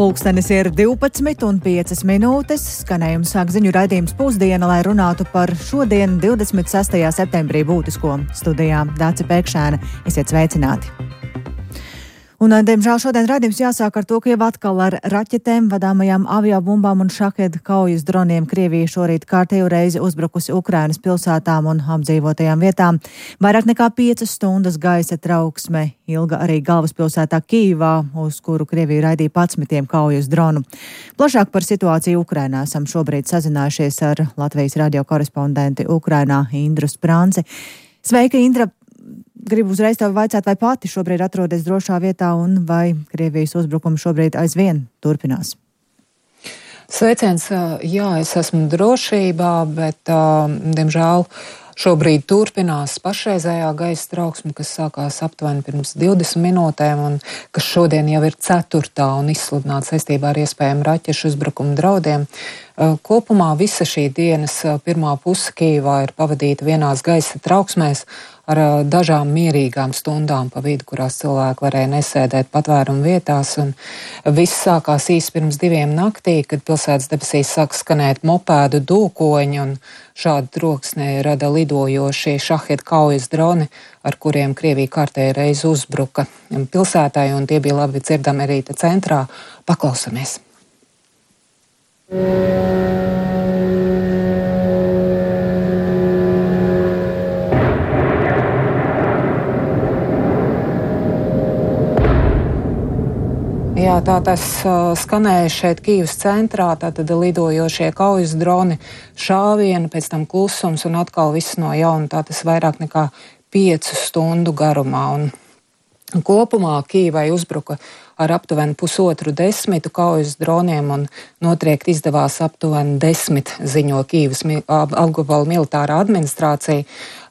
Pulkstenis ir 12:05. Skanējums sāk ziņu raidījums Pusdiena, lai runātu par šodien 26. septembrī būtisko. Studijā Dāce Pēkšēna. Esiet sveicināti! Un, diemžēl, šodien raidījums jāsāk ar to, ka jau atkal ar raķetēm, vadāmajām aviobumbām un šaheda kaujas droniem Krievija šorīt kārtējo reizi uzbrukusi Ukrainas pilsētām un apdzīvotajām vietām. Vairāk nekā 5 stundas gaisa trauksme ilga arī galvaspilsētā Kijivā, uz kuru Krievija raidīja 11 kaujas dronu. Plašāk par situāciju Ukrainā esam šobrīd sazinājušies ar Latvijas radio korespondenti Ukrainā Indru Sprānci. Sveika, Indra! Gribu uzreiz tev vaicāt, vai pati šobrīd atrodas drošā vietā un vai Krievijas uzbrukumi šobrīd aizvien turpinās? Sveiciens, jā, es esmu drošībā, bet, diemžēl, šobrīd turpinās pašreizējā gaisa trauksme, kas sākās aptuveni pirms 20 minūtēm un kas šodien jau ir 4. un izsludināta saistībā ar iespējamu raķešu uzbrukumu draudiem. Kopumā visa šī dienas pirmā puse Kijivā ir pavadīta vienās gaisa trauksmēs ar dažām mierīgām stundām pa vidu, kurās cilvēki varēja nesēdēt patvērumu vietās. Un viss sākās īsi pirms 2 naktī, kad pilsētas debesīs sāk skanēt mopēdu dūkoņi un šādu troksni rada lidojošie šaheda kaujas droni, ar kuriem Krievija kārtējo reizi uzbruka pilsētai, un tie bija labi dzirdami arī te centrā. Paklausamies! Jā, tā tas skanēja šeit Kijivas centrā, tātad lidojošie kaujas droni, šāvieni, pēc tam klusums un atkal viss no jauna, tā tas vairāk nekā 5 stundu garumā. Un kopumā Kijivai uzbruka ar aptuveni 9,5 kaujas droniem un notriekt izdevās aptuveni 10, ziņo Kijivas apgabala militārā administrācija.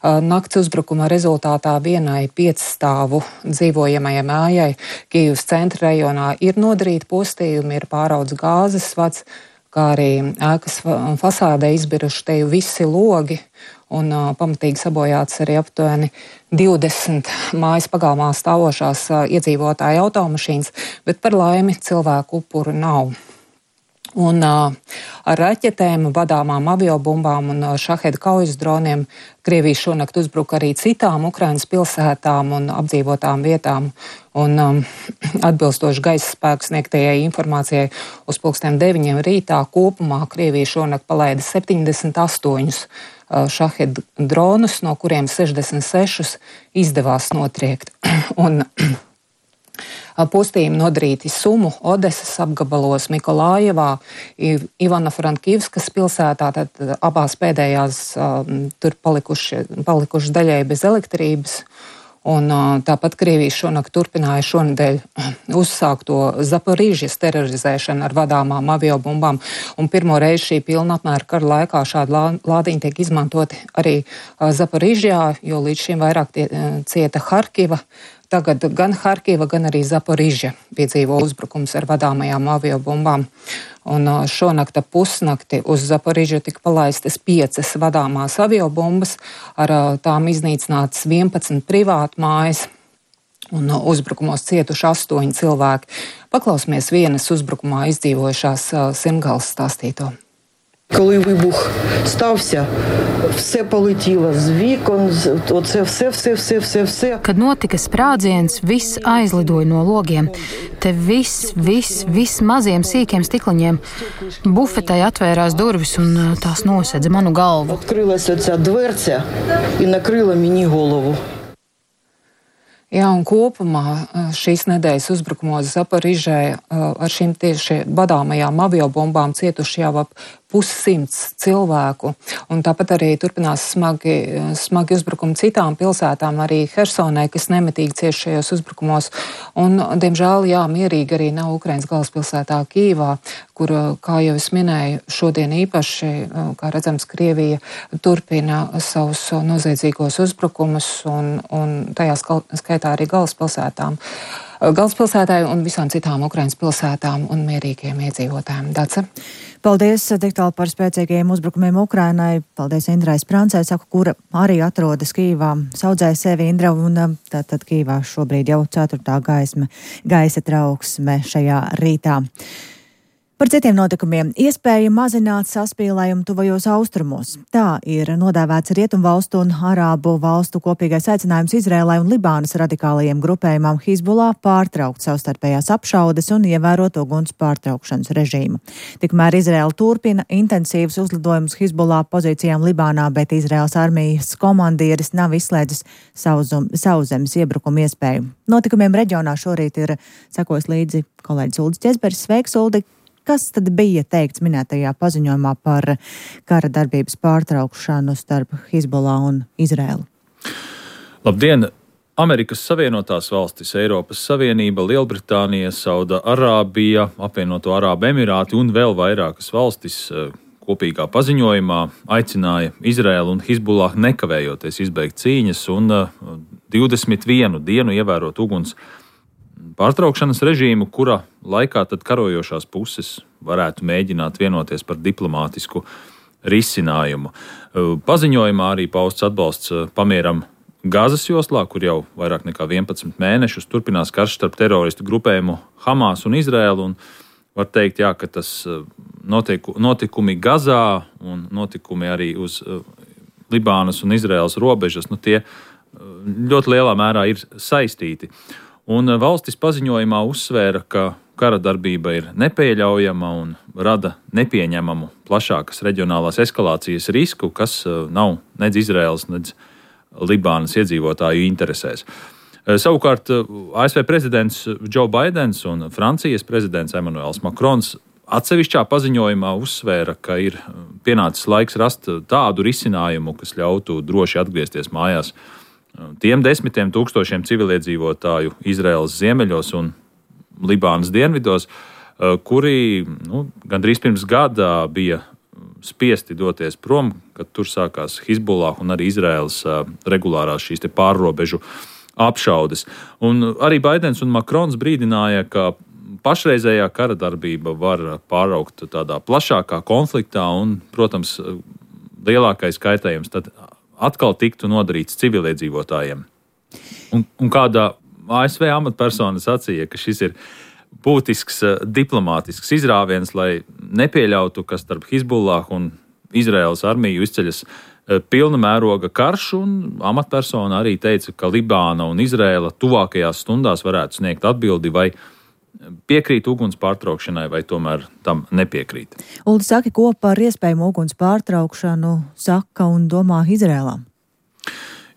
Nakts uzbrukuma rezultātā vienai 5 stāvu dzīvojamajai mājai Kijivas centra rajonā ir nodarīti postījumi, ir pāraudzis gāzes vads, kā arī ēkas fasādē izbiruši te visi logi un pamatīgi sabojāts arī aptuveni 20 mājas pagalmā stāvošās iedzīvotāju automašīnas, bet par laimi cilvēku upuru nav. Un ar raķetēm, vadāmām aviobumbām un šaheda kaujas droniem Krievija šonakt uzbruka arī citām Ukrainas pilsētām un apdzīvotām vietām. Un atbilstoši gaisa spēku sniegtajai informācijai uz 9:00 rītā kopumā Krievija šonakt palaida 78 šaheda dronus, no kuriem 66 izdevās notriekt. Un postījumi nodarīti Sumu, Odesas apgabalos, Mikolājevā, Ivano-Frankivskas pilsētā, tad abās pēdējās tur palikuši daļai bez elektrības. Un tāpat Krievija šonakt turpināja šonedēļ uzsākto Zaporižas terorizēšanu ar vadāmām aviobumbām. Un pirmo reizi šī pilna apmēra kara laikā šādi lādiņi tiek izmantoti arī Zaporižjā, jo līdz šim vairāk cieta Harkiva. Tagad gan Harkiva, gan arī Zaporižja piedzīvo uzbrukums ar vadāmajām aviobumbām. Un šonakta pusnakti uz Zaporižju tika palaistas 5 vadāmās aviobumbas, ar tām iznīcinātas 11 privātu mājas un uzbrukumos cietuši 8 cilvēki. Paklausīsimies vienas uzbrukumā izdzīvojušās Simgalas stāstīto. Коли вибух стався, все полетіло з вікон, оце все. Kad notika sprādziens, viss aizlidoja no logiem. Te viss maziem sīkiem stikliņiem. Bufetai atvērās durvis un tās nosedza manu galvu. Открилась оця дверця і накрила мені голову. Jā, un kopumā šīs nedēļas uzbrukumos Zaporižē ar šīm tieši vadāmajām aviobumbām cietuši jau ap 100 cilvēku. Un tāpat arī turpinās smagi uzbrukumi citām pilsētām, arī Hersonai, kas nemitīgi cieš šajos uzbrukumos. Un, diemžēl, jā, mierīgi arī nav Ukrainas galvaspilsētā Kijivā, kur, kā jau es minēju, šodien īpaši, kā redzams, Krievija turpina savus noziedzīgos uzbrukumus un tajā skaitā arī galvaspilsētām. galvaspilsētai un visām citām Ukrainas pilsētām un mierīgiem iedzīvotājiem. Dace? Paldies tik tālu par spēcīgajiem uzbrukumiem Ukrainai. Paldies Indrai Sprancei, kura arī atrodas Kīvā. Saudzēja sevi Indra, un tātad Kīvā šobrīd jau 4. gaisa trauksme šajā rītā. Par citiem notikumiem iespēja mazināt saspīlējumu tuvajos austrumos. Tā ir nodēvēts Rietumvalstu un Arābu valstu kopīgais aicinājums Izrēlai un Libānas radikālajiem grupējumam Hizbullah pārtraukt savstarpējās apšaudes un ievērot uguns pārtraukšanas režīmu. Tikmēr Izrēla turpina intensīvus uzlidojumus Hizbullah pozīcijām Libānā, bet Izraēlas armijas komandieris nav izslēdzis sauszemes iebrukumu iespēju. Notikumiem reģionā šorīt ir sekojis līdzi kolēģis Uldis Ķezberis. Sveiks, Uldi! Kas tad bija teikts minētajā paziņojumā par kara darbības pārtraukšanu starp Hizbullah un Izrēlu? Labdien! Amerikas Savienotās valstis, Eiropas Savienība, Lielbritānija, Sauda Arābija, Apvienoto Arābu Emirāti un vēl vairākas valstis kopīgā paziņojumā aicināja Izrēlu un Hizbullah nekavējoties izbeigt cīņas un 21 dienu ievērot uguns pārtraukšanas režīmu, kura laikā tad karojošās puses varētu mēģināt vienoties par diplomātisku risinājumu. Paziņojumā arī pausts atbalsts pamieram Gazas joslā, kur jau vairāk nekā 11 mēnešus turpinās karš starp teroristu grupējumu Hamas un Izrēlu. Un var teikt, jā, ka tas notikumi Gazā un notikumi arī uz Libānas un Izrēlas robežas, tie ļoti lielā mērā ir saistīti. Un valstis paziņojumā uzsvēra, ka kara darbība ir nepieļaujama un rada nepieņemamu plašākas reģionālās eskalācijas risku, kas nav nedz Izraēlas, nedz Libānas iedzīvotāju interesēs. Savukārt ASV prezidents Joe Baidens un Francijas prezidents Emmanuels Macrons atsevišķā paziņojumā uzsvēra, ka ir pienācis laiks rast tādu risinājumu, kas ļautu droši atgriezties mājās tiem 10 000 civiliedzīvotāju Izraēlas ziemeļos un Libānas dienvidos, kuri gandrīz pirms gada bija spiesti doties prom, kad tur sākās Hizbullah un arī Izraēlas regulārās šīs pārrobežu apšaudes. Un arī Baidens un Makrons brīdināja, ka pašreizējā kara darbība var pāraukt tādā plašākā konfliktā un, protams, lielākais kaitējums tad atkal tiktu nodarīts civiliedzīvotājiem. Un kādā ASV amatpersona sacīja, ka šis ir būtisks diplomātisks izrāviens, lai nepieļautu, ka starp Hizbullah un Izraēlas armiju izceļas pilna mēroga karš, un amatpersona arī teica, ka Libāna un Izraēla tuvākajās stundās varētu sniegt atbildi, vai piekrīt uguns pārtraukšanai, vai tomēr tam nepiekrīt. Uldi, saki, ko par iespējamu uguns pārtraukšanu saka un domā Izrēlā?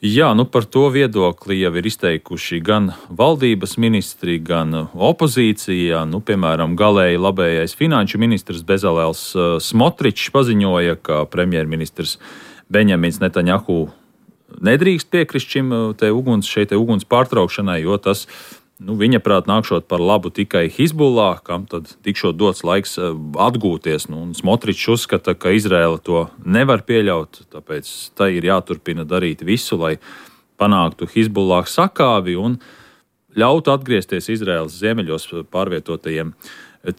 Jā, par to viedokli jau ir izteikuši gan valdības ministri, gan opozīcija. Piemēram, galēji labējais finanšu ministrs Bezalels Smotričs paziņoja, ka premjerministrs Benjamins Netanjahu nedrīkst piekrist šeit uguns pārtraukšanai, jo tas viņa prāt nākšot par labu tikai Hizbullah, kam tad tikšot dots laiks atgūties. Un Smotričs uzskata, ka Izraēla to nevar pieļaut, tāpēc tai ir jāturpina darīt visu, lai panāktu Hizbullah sakāvi un ļautu atgriezties Izraēlas ziemeļos pārvietotajiem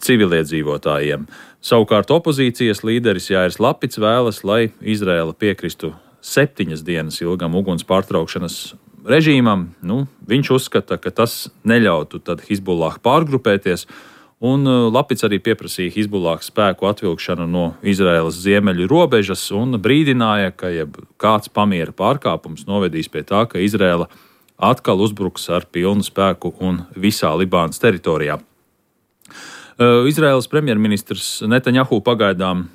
civiliedzīvotājiem. Savukārt opozīcijas līderis Jāirs Lapits vēlas, lai Izraēla piekristu 7 dienas ilgam uguns pārtraukšanas režīmam. Viņš uzskata, ka tas neļautu tad Hizbullah pārgrupēties, un Lapits arī pieprasīja Hizbullah spēku atvilkšanu no Izraēlas ziemeļu robežas un brīdināja, ka kāds pamiera pārkāpums novedīs pie tā, ka Izraēla atkal uzbruks ar pilnu spēku un visā Libānas teritorijā. Izraēlas premjerministrs Netanjahu pagaidām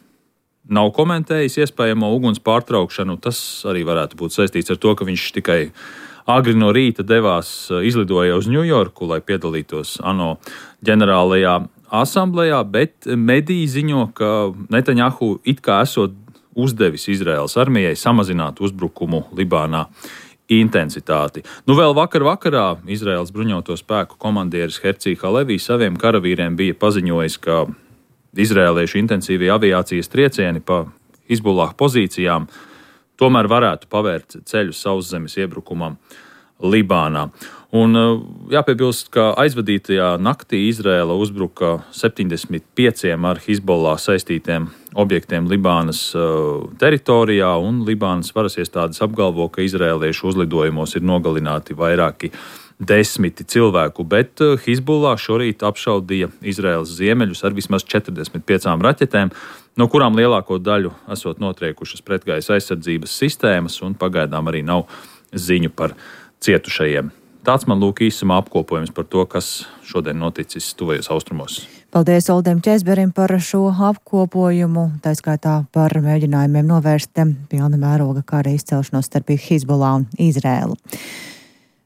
nav komentējis iespējamo uguns pārtraukšanu. Tas arī varētu būt saistīts ar to, ka viņš tikai agri no rīta izlidoja uz Ņujorku, lai piedalītos ANO ģenerālajā asamblējā, bet mediji ziņo, ka Netanjahu it kā esot uzdevis Izraēlas armijai samazināt uzbrukumu Libānā intensitāti. Vēl vakarā Izraēlas bruņoto spēku komandieris Hercī Halevī saviem karavīriem bija paziņojis, ka izraēliešu intensīvie aviācijas triecieni pa Hizbullah pozīcijām tomēr varētu pavērt ceļu sauszemes iebrukumam Libānā. Un jāpiebilst, ka aizvadītajā naktī Izraēla uzbruka 75 ar Hizbollah saistītiem objektiem Libānas teritorijā, un Libānas varas iestādes apgalvo, ka izraēliešu uzlidojumos ir nogalināti vairāki 10 cilvēku, bet Hizbollah šorīt apšaudīja Izraēlas ziemeļus ar vismaz 45 raķetēm, no kurām lielāko daļu esot notriekušas pretgaisa aizsardzības sistēmas, un pagaidām arī nav ziņu par cietušajiem. Tāds man lūk īsumā apkopojums par to, kas šodien noticis tuvajos austrumos. Paldies Oldim Česberim par šo apkopojumu, tā skaitā par mēģinājumiem novērst pilna mēroga kara izcelšanos starp Hizbollah un Izraēlu.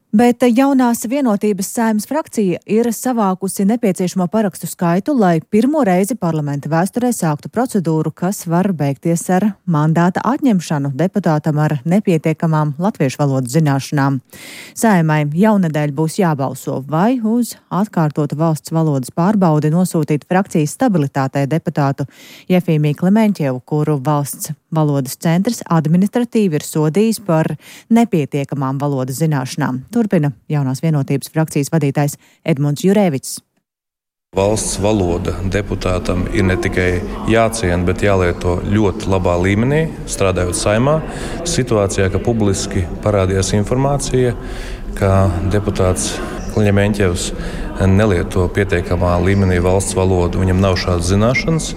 Bet jaunās vienotības Saeimas frakcija ir savākusi nepieciešamo parakstu skaitu, lai pirmo reizi parlamenta vēsturē sāktu procedūru, kas var beigties ar mandāta atņemšanu deputātam ar nepietiekamām latviešu valodas zināšanām. Saeimai jaunedēļ būs jābalso vai uz atkārtotu valsts valodas pārbaudi nosūtīt frakcijas stabilitātei deputātu Jefīmiju Klemenķevu, kuru valsts valodas centrs administratīvi ir sodījis par nepietiekamām valodas zināšanām. Turpina jaunās vienotības frakcijas vadītājs Edmunds Jurēvics. Valsts valoda deputātam ir ne tikai jāciena, bet jālieto ļoti labā līmenī, strādājot Saeimā. Situācijā, ka publiski parādījās informācija, ka deputāts Klemenķevs nelieto pietiekamā līmenī valsts valodu, viņam nav šādas zināšanas.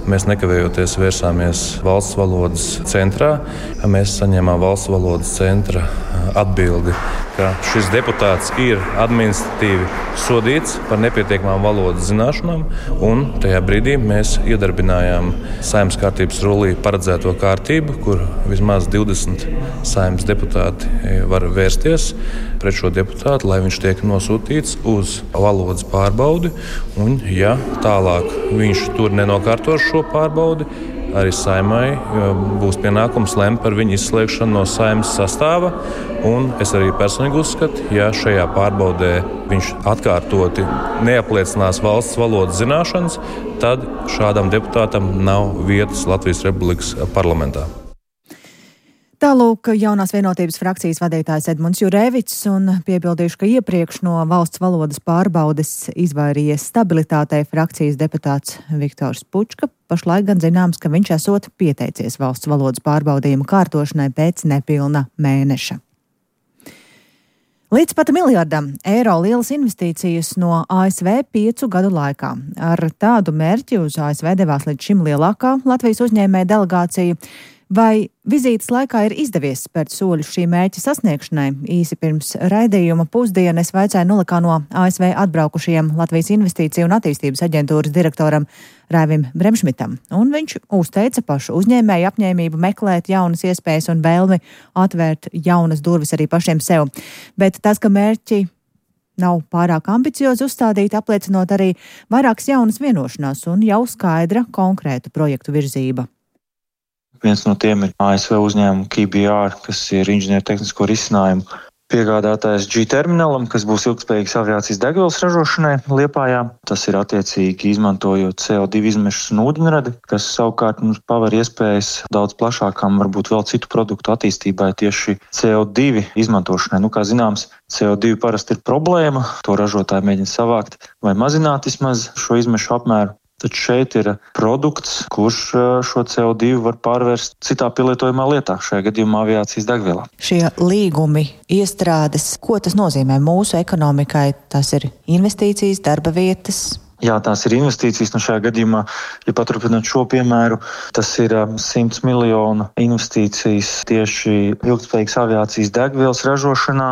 Mēs nekavējoties vērsāmies valsts valodas centrā. Mēs saņēmām valsts valodas centra atbildi, ka šis deputāts ir administratīvi sodīts par nepietiekamām valodas zināšanām, un tajā brīdī mēs iedarbinājām Saeimas kārtības rullī paredzēto kārtību, kur vismaz 20 Saeimas deputāti var vērsties pret šo deputātu, lai viņš tiek nosūtīts uz valodas pārbaudi, un ja tālāk viņš tur nenokārtos šo pārbaudi, arī Saeimai būs pienākums lemt par viņu izslēgšanu no Saeimas sastāva. Un es arī personīgi uzskatu, ja šajā pārbaudē viņš atkārtoti neapliecinās valsts valodas zināšanas, tad šādam deputātam nav vietas Latvijas Republikas parlamentā. Tālūk jaunās vienotības frakcijas vadītājs Edmunds Jurēvics, un piebildīšu, ka iepriekš no valsts valodas pārbaudes izvairījies stabilitātei frakcijas deputāts Viktors Pučka. Pašlaik gan zināms, ka viņš esot pieteicies valsts valodas pārbaudījuma kārtošanai pēc nepilna mēneša. Līdz pat miljardam eiro lielas investīcijas no ASV 5 gadu laikā. Ar tādu mērķi uz ASV devās līdz šim lielākā Latvijas uzņēmēja delegācija. Vai vizītes laikā ir izdevies spērt soļus šī mērķa sasniegšanai? Īsi pirms raidījuma pusdienu es vaicāju Nolikā no ASV atbraukušajiem Latvijas Investīciju un attīstības aģentūras direktoram Raivim Bremšmitam, un viņš uzteica pašu uzņēmēju apņēmību meklēt jaunas iespējas un vēlmi atvērt jaunas durvis arī pašiem sev. Bet tas, ka mērķi nav pārāk ambiciozi uzstādīti, apliecinot arī vairākas jaunas vienošanās un jau skaidra konkrētu projektu virzība. Viens no tiem ir ASV uzņēmuma KBR, kas ir inženiertehnisko risinājumu piegādātājs G-terminalam, kas būs ilgspējīgas aviācijas degvielas ražošanai Liepājā. Tas ir attiecīgi izmantojot CO2 izmešus un ūdeņradi, kas savukārt mums paver iespējas daudz plašākām, varbūt vēl citu produktu attīstībai tieši CO2 izmantošanai. Kā zināms, CO2 parasti ir problēma, to ražotāji mēģina savākt vai mazināt vismaz šo izmešu apmēru. Taču šeit ir produkts, kurš šo CO2 var pārvērst citā pielietojumā lietā, šajā gadījumā aviācijas degvielā. Šie līgumi, iestrādes, ko tas nozīmē mūsu ekonomikai? Tas ir investīcijas, darba vietas? Jā, tās ir investīcijas. Šajā gadījumā, ja paturpināt šo piemēru, tas ir 100 miljonu investīcijas tieši ilgspējīgas aviācijas degvielas ražošanā,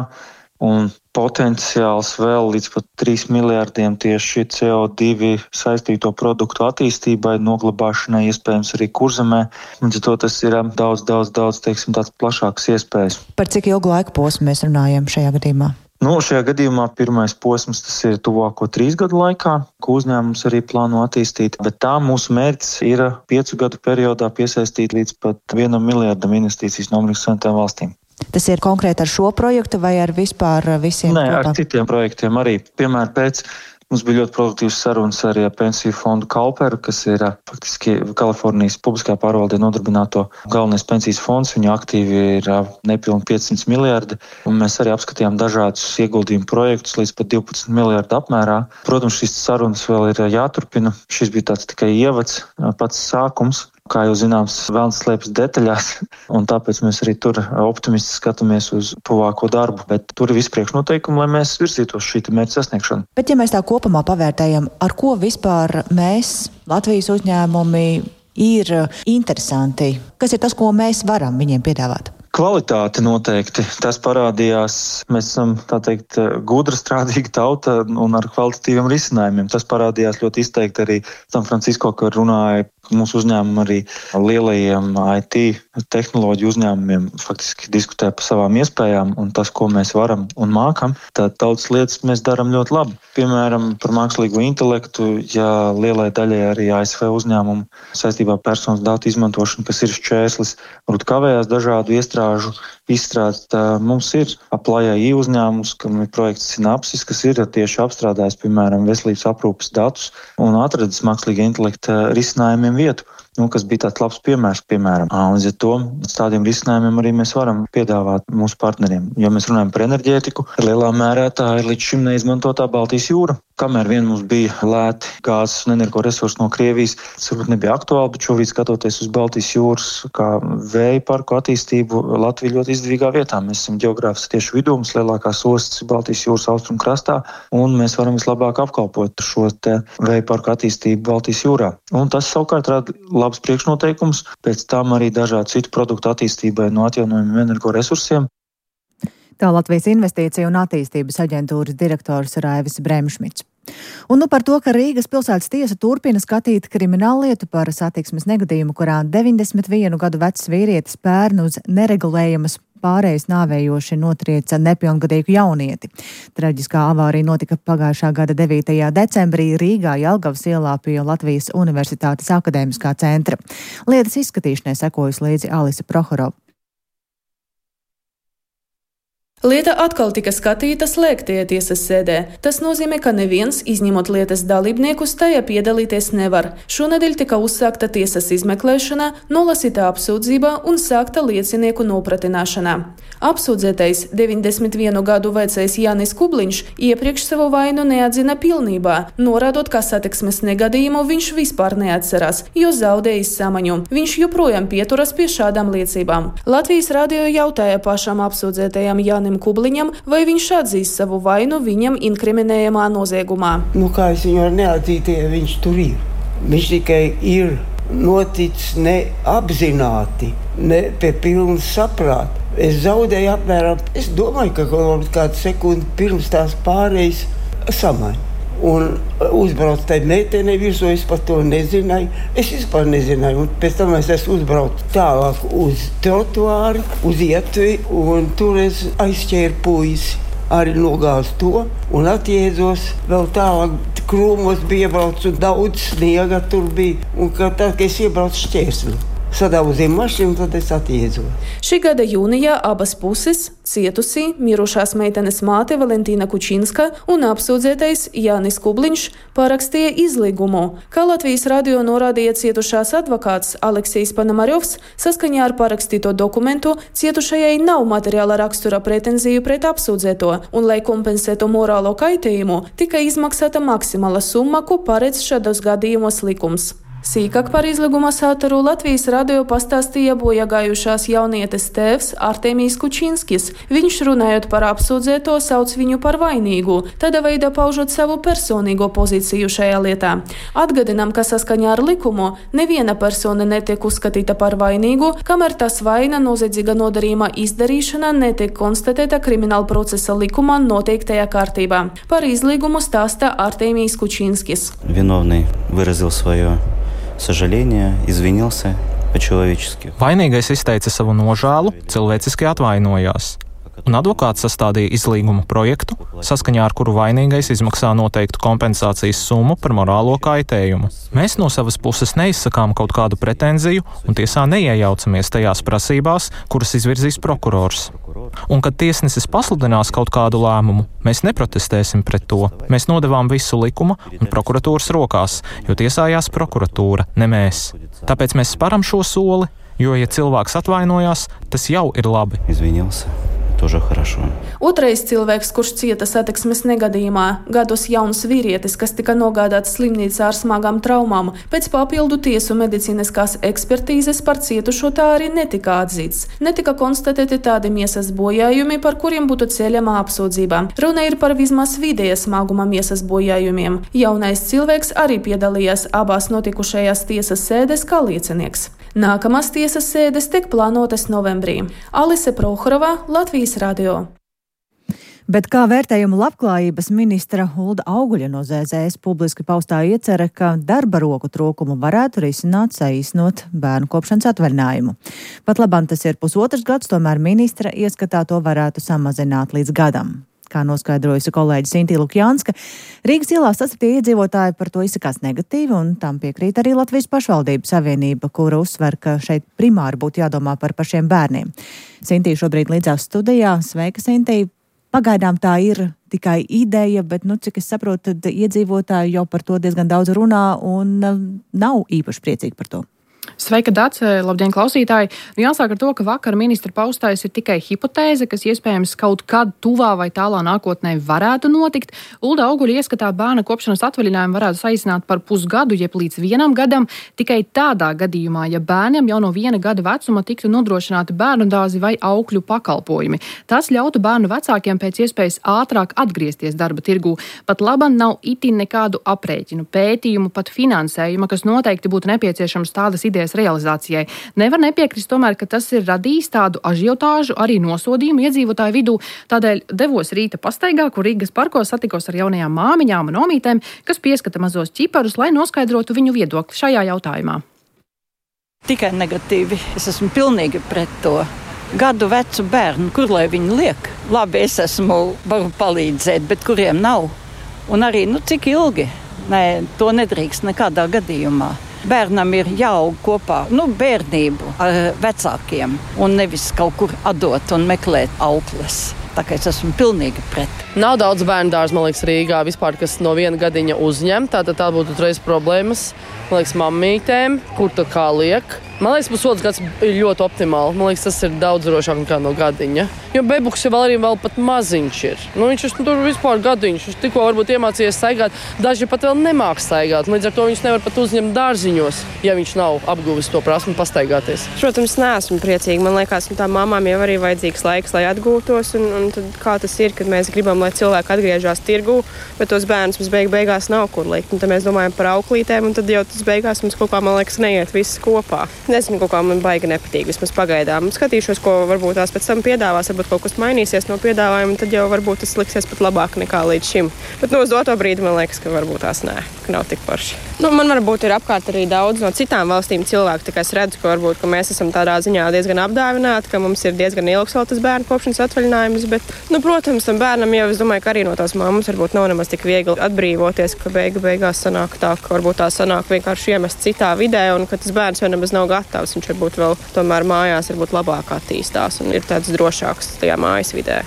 un potenciāls vēl līdz pat 3 miljārdiem tieši CO2 saistīto produktu attīstībai, noglabāšanai, iespējams arī kurzemē. Līdz to tas ir daudz, teiksim, tāds plašāks iespējas. Par cik ilgu laika posmu mēs runājam šajā gadījumā? Šajā gadījumā pirmais posms tas ir tuvāko 3 gadu laikā, ko uzņēmums arī plāno attīstīt, bet tā mūsu mērķis ir 5 gadu periodā piesaistīt līdz pat 1 miljārdam investīcijas no Amerikas Savienotām valstīm. Tas ir konkrēti ar šo projektu vai ar vispār visiem? Nē, ar citiem projektiem arī. Piemēram, pēc Mums bija ļoti produktīvas sarunas arī ar pensiju fondu Kauperu, kas ir faktiski Kalifornijas publiskajā pārvaldē nodarbināto galvenais pensijas fonds. Viņa aktīvi ir nepilni 500 miljardi, un mēs arī apskatījām dažādus ieguldījumu projektus līdz pat 12 miljardu apmērā. Protams, šīs sarunas vēl ir jāturpina. Šis bija tāds tikai ievads, pats sākums. Kā jau zināms, velns slēpjas detaļās, un tāpēc mēs arī tur optimisti skatāmies uz tuvāko darbu, bet tur ir visi priekšnoteikumi, lai mēs virzītos šī mērķa sasniegšanu. Bet ja mēs tā kopumā pavērtējam, ar ko vispār mēs, Latvijas uzņēmumi, ir interesanti? Kas ir tas, ko mēs varam viņiem piedāvāt? Kvalitāte noteikti. Tas parādījās, mēs esam, tā teikt, gudra strādīga tauta un ar kvalitatīviem risinājumiem. Tas parādījās ļoti izteikti arī San Francisco, kad runāja mūsu uzņēmumu arī lielajiem IT tehnoloģiju uzņēmumiem, faktiski diskutē par savām iespējām un tas, ko mēs varam un mākam. Tad daudz lietas mēs darām ļoti labi. Piemēram, par mākslīgo intelektu, ja lielai daļai arī ASV uzņēmumu saistībā ar personas datu izmantošanu, kas ir šķērslis, varbūt kavējās dažādu iestrāžu izstrādes. Mums ir Apply.ai uzņēmums, kam ir projekts Synapsis, kas ir tieši apstrādājis, piemēram, veselības aprūpes datus un atradis mākslīga intelekta risinājumiem vietu, kas bija tāds labs piemērs, piemēram. Līdz ar to tādiem risinājumiem arī mēs varam piedāvāt mūsu partneriem. Ja mēs runājam par enerģētiku, lielā mērā tā ir līdz šim neizmantotā Baltijas jūra. Kamēr vien mums bija lēti gāzes un energoresursi no Krievijas, tas varbūt nebija aktuāli, bet šobrīd skatoties uz Baltijas jūras kā vēja parku attīstību, Latvija ļoti izdevīgā vietā. Mēs esam ģeogrāfiski tieši vidū, mums lielākās ostas ir Baltijas jūras austrumu krastā, un mēs varam vislabāk apkalpot šo te vēja parku attīstību Baltijas jūrā. Un tas savukārt rada labs priekšnoteikums, pēc tam arī dažādu citu produktu attīstībai no atjaunojumiem energoresursiem. Tā Latvijas Investīciju un attīstības aģentūras direktors Raivis Bremšmits. Un par to, ka Rīgas pilsētas tiesa turpina skatīt krimināllietu par satiksmes negadījumu, kurā 91 gadu vecs vīrietis pērn uz neregulējamas pārējas nāvējoši notrieca nepilngadīgu jaunieti. Traģiskā avārija notika pagājušā gada 9. decembrī Rīgā Jelgavas ielā pie Latvijas Universitātes akadēmiskā centra. Lietas izskatīšanai sekojas līdzi Alise Prohorova. Lieta atkal tika skatīta slēgtajā tiesas sēdē. Tas nozīmē, ka neviens, izņemot lietas dalībniekus, tajā piedalīties nevar. Šonedēļ tika uzsākta tiesas izmeklēšana, nolasīta apsūdzība un sākta liecinieku nopratināšana. Apsūdzētais 91 gadu vecais Jānis Kubliņš iepriekš savu vainu neatzina pilnībā, norādot, ka satiksmes negadījumu viņš vispār neatcerās, jo zaudējis samaņu. Viņš joprojām pieturas pie šādām liecībām. Latvijas radio jautāja pašam apsūdzētajam Jānim Kubliņam, vai viņš atzīst savu vainu viņam inkriminējamā noziegumā. Kā es viņu varu neatzīt, ja viņš tur ir? Viņš tikai ir noticis neapzināti, ne pie pilnas saprāta. Es zaudēju apmēram, es domāju, ka kādu sekundi pirms tās pārējas samaņu. Un uzbraucu tai meitenei virsū, es par to nezināju. Es vispār nezināju. Un pēc tam es esmu uzbraucu tālāk uz trotuāru, uz ietvi, un tur es aizķēru puisi. Arī nogāzu to un atjēdzos vēl tālāk. Krūmos bija iebraucu, daudz sniega tur bija. Un tad, kad es iebraucu šķērsli, sadauzīju mašīnu, tad es atjēdzos. Šī gada jūnijā abas puses – cietusī, mirušās meitenes māte Valentīna Kučinska un apsūdzētais Jānis Kubliņš – parakstīja izlīgumu. Kā Latvijas radio norādīja cietušās advokāts Aleksijs Panamarjovs, saskaņā ar parakstīto dokumentu cietušajai nav materiāla rakstura pretenziju pret apsūdzēto, un, lai kompensētu morālo kaitējumu, tika izmaksāta maksimāla summa, ko paredz šādos gadījumos likums. Sīkāk par izlīguma saturu Latvijas radio pastāstīja bojagājušās jaunietes tēvs Artemijs Kučinskis. Viņš, runājot par apsūdzēto, sauc viņu par vainīgu, tādā veidā paužot savu personīgo pozīciju šajā lietā. Atgādinām, ka saskaņā ar likumu neviena persona netiek uzskatīta par vainīgu, kamēr tas vaina noziedzīga nodarījuma izdarīšana netiek konstatēta krimināla procesa likumā noteiktajā kārtībā. Par izlīgumu stāsta Artemijs Kučinskis. Виновный выразил свое сожаление, извинился по-человечески. Vainīgais izteica savu nožēlu, cilvēciski atvainojās. un advokāts sastādīja izlīguma projektu, saskaņā ar kuru vainīgais izmaksā noteiktu kompensācijas summu par morālo kaitējumu. Mēs no savas puses neizsakām kaut kādu pretenziju un tiesā neiejaucamies tajās prasībās, kuras izvirzīs prokurors. Un, kad tiesnesis pasludinās kaut kādu lēmumu, mēs neprotestēsim pret to. Mēs nodevām visu likuma un prokuratūras rokās, jo tiesājās prokuratūra, ne mēs. Tāpēc mēs sparam šo soli, jo, ja cilvēks atvainojās, tas jau ir labi. Izvinился. Тоже хорошо. Otrais cilvēks, kurš cieta satiksmes negadījumā, gados jauns vīrietis, kas tika nogādāts slimnīcā ar smagām traumām, pēc papildu tiesu medicīniskās ekspertīzes par cietušo tā arī netika atzīts. Netika konstatēti tādi miesas bojājumi, par kuriem būtu ceļama apsūdzība. Runa ir par vismaz vidēja smaguma miesas bojājumiem. Jaunais cilvēks arī piedalījās abās notikušajās tiesas sēdes kā liecinieks. Nākamās tiesas sēdes tiek plānotas novembrī. Alise Prohorova, Latvijas radio. Bet kā vērtējumu labklājības ministra Ulda Auguļa no ZZS publiski paustā iecerē, ka darba roku trūkumu varētu risināt saīsnot bērnu kopšanas atvaļinājumu. Pat labam tas ir 1,5 gads, tomēr ministra ieskatā to varētu samazināt līdz gadam. Kā noskaidrojusi kolēģi Sintīna Lukjānska, Rīgas ielās sastaptie iedzīvotāji par to izsakās negatīvi, un tam piekrīt arī Latvijas pašvaldību savienība, kura uzsver, ka šeit primāri būtu jādomā par pašiem bērniem. Sintīna šobrīd līdzās studijā. Sveika, Sintīna! Pagaidām tā ir tikai ideja, bet, cik es saprotu, tad iedzīvotāji jau par to diezgan daudz runā un nav īpaši priecīgi par to. Sveika, Dace! Labdien, klausītāji! Jāsāk ar to, ka vakar ministra paustais ir tikai hipotēze, kas iespējams kaut kad tuvā vai tālā nākotnē varētu notikt. Ulda Auguļa ieskatā bērna kopšanas atvaļinājumu varētu saīsināt par 1,5 gadu, jeb līdz 1 gadam, tikai tādā gadījumā, ja bērniem jau no 1 gada vecuma tiktu nodrošināti bērnu dārzi vai aukļu pakalpojumi. Tas ļautu bērnu vecākiem pēc iespējas ātrāk atgriezties darba tirgū. Pat labam nav itin nekādu aprēķinu, pētījumu, pat finansējuma, kas noteikti būtu nepieciešams tādas idejas realizācijai. Nevar nepiekrist tomēr, ka tas ir radījis tādu ažiotāžu, arī nosodījumu iedzīvotāju vidū. Tādēļ devos rīta pastaigā, kur Rīgas parkos satikos ar jaunajām māmiņām un omītēm, kas pieskata mazos ķiparus, lai noskaidrotu viņu viedokli šajā jautājumā. Tikai negatīvi. Es esmu pilnīgi pret to. Gadu vecu bērnu, kur lai viņi liek? Labi, es varu palīdzēt, bet kuriem nav? Un arī, cik ilgi? Nē, to nedrīkst nekādā gadījumā. Bērnam ir jāaug kopā, bērnību ar vecākiem un nevis kaut kur atdot un meklēt aukles. Tā kā es esmu pilnīgi pret. Nav daudz bērnu dārzu, man liekas, Rīgā vispār, kas no 1 gadiņa uzņem. Tā būtu uzreiz problēmas, man liekas, mammītēm, kur tā kā liek. Man liekas, 1,5 gads ir ļoti optimāli. Man liekas, tas ir daudz drošāk nekā no gadiņa. Jo bebuks jau vēl pat maziņš ir. Viņš tur vispār gadiņš. Viņš tikko varbūt iemācījies staigāt. Daži pat vēl nemāk staigāt. Līdz ar to viņš nevar pat uzņemt dārziņos, ja viņš nav apguvis to prasmi pastaigāties. Protams, neesmu priecīga. Man liekas, tām mamām jau arī vajadzīgs laiks, lai atgūtos. Un tad kā tas ir, kad mēs gribam, lai cilvēki atgriežas tirgū, bet tos bērnus mums beigās nav kur likt. Un tad mēs domājam par auklītēm, un tad jau tas beigās mums kaut kā, man liekas, neiet viss kopā. Nezinu, kaut kā man baigi nepatīk, vismaz pagaidām. Skatīšos, ko varbūt tās pēc tam piedāvās, varbūt kaut kas mainīsies no piedāvājuma, tad jau varbūt tas liksies pat labāk nekā līdz šim. Bet uz doto brīdi man liekas, ka varbūt tās nē, ka nav tik forši. Man varbūt ir apkārt arī daudz no citām valstīm cilvēku, tā kā es redzu, ka varbūt ka mēs esam tādā ziņā diezgan apdāvināti, ka mums ir diezgan ilgs vēl tas bērnu kopšanas atvaļinājums, bet, protams, tam bērnam jau es domāju, ka arī no tās mammas varbūt nav nemaz tik viegli atbrīvoties, ka beigās sanāk tā, ka varbūt tā sanāk vienkārši iemest citā vidē un ka tas bērns jau nemaz nav gatavs. Viņš varbūt vēl tomēr mājās varbūt labāk attīstās un ir tāds drošāks tajā mājas vidē.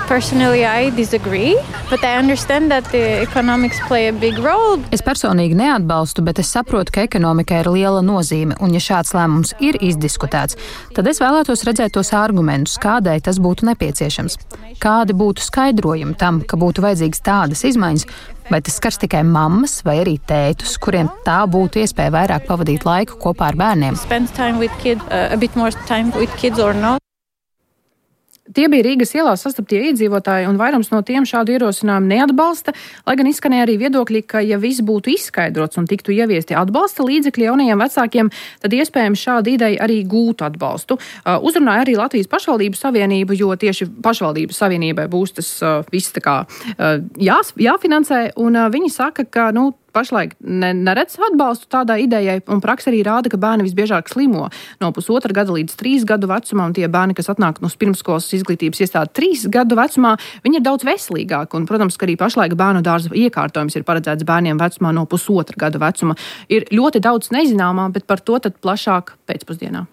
Personally, I disagree, but I understand that the economics play a big role. Es personīgi neatbalstu, bet es saprotu, ka ekonomikai ir liela nozīme, un ja šāds lēmums ir izdiskutēts, tad es vēlētos redzēt tos argumentus, kādēļ tas būtu nepieciešams. Kādi būtu skaidrojumi tam, ka būtu vajadzīgas tādas izmaiņas, vai tas skars tikai mammas vai arī tētus, kuriem tā būtu iespēja vairāk pavadīt laiku kopā ar bērniem. Tie bija Rīgas ielās sastaptie iedzīvotāji, un vairums no tiem šādu ierosinājumu neatbalsta, lai gan izskanēja arī viedokļi, ka ja viss būtu izskaidrots un tiktu ieviesti atbalsta līdzekļi jaunajiem vecākiem, tad iespējams šāda ideja arī gūtu atbalstu. Uzrunāja arī Latvijas pašvaldību savienību, jo tieši pašvaldību savienībai būs tas viss tā kā jāfinansē, un viņi saka, ka, pašlaik neredz atbalstu tādai idejai, un praksa arī rāda, ka bērni visbiežāk slimo no 1,5 gada līdz 3 gadu vecumā, un tie bērni, kas atnāk no pirmskolas izglītības iestādi 3 gadu vecumā, viņi ir daudz veselīgāki, un, protams, ka arī pašlaik bērnu dārza iekārtojums ir paredzēts bērniem vecumā no 1,5 gada vecuma. Ir ļoti daudz nezināmā, bet par to tad plašāk pēcpusdienā.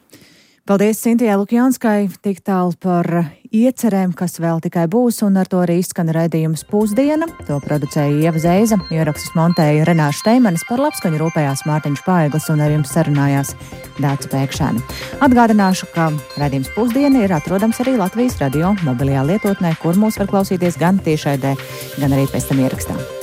Paldies Sintijai Lukjanskai, tik tālu par iecerēm, kas vēl tikai būs, un ar to arī izskan raidījums Pusdiena. To producēja Ieva Zeiza, ierakstus montēja Renāša Steimanis, par labskaņu rūpējās Mārtiņš Paeglis un ar jums sarunājās Dāca Pēkšēna. Atgādināšu, ka raidījums Pusdiena ir atrodams arī Latvijas radio mobilajā lietotnē, kur mūs var klausīties gan tiešraidē, gan arī pēc tam ierakstā.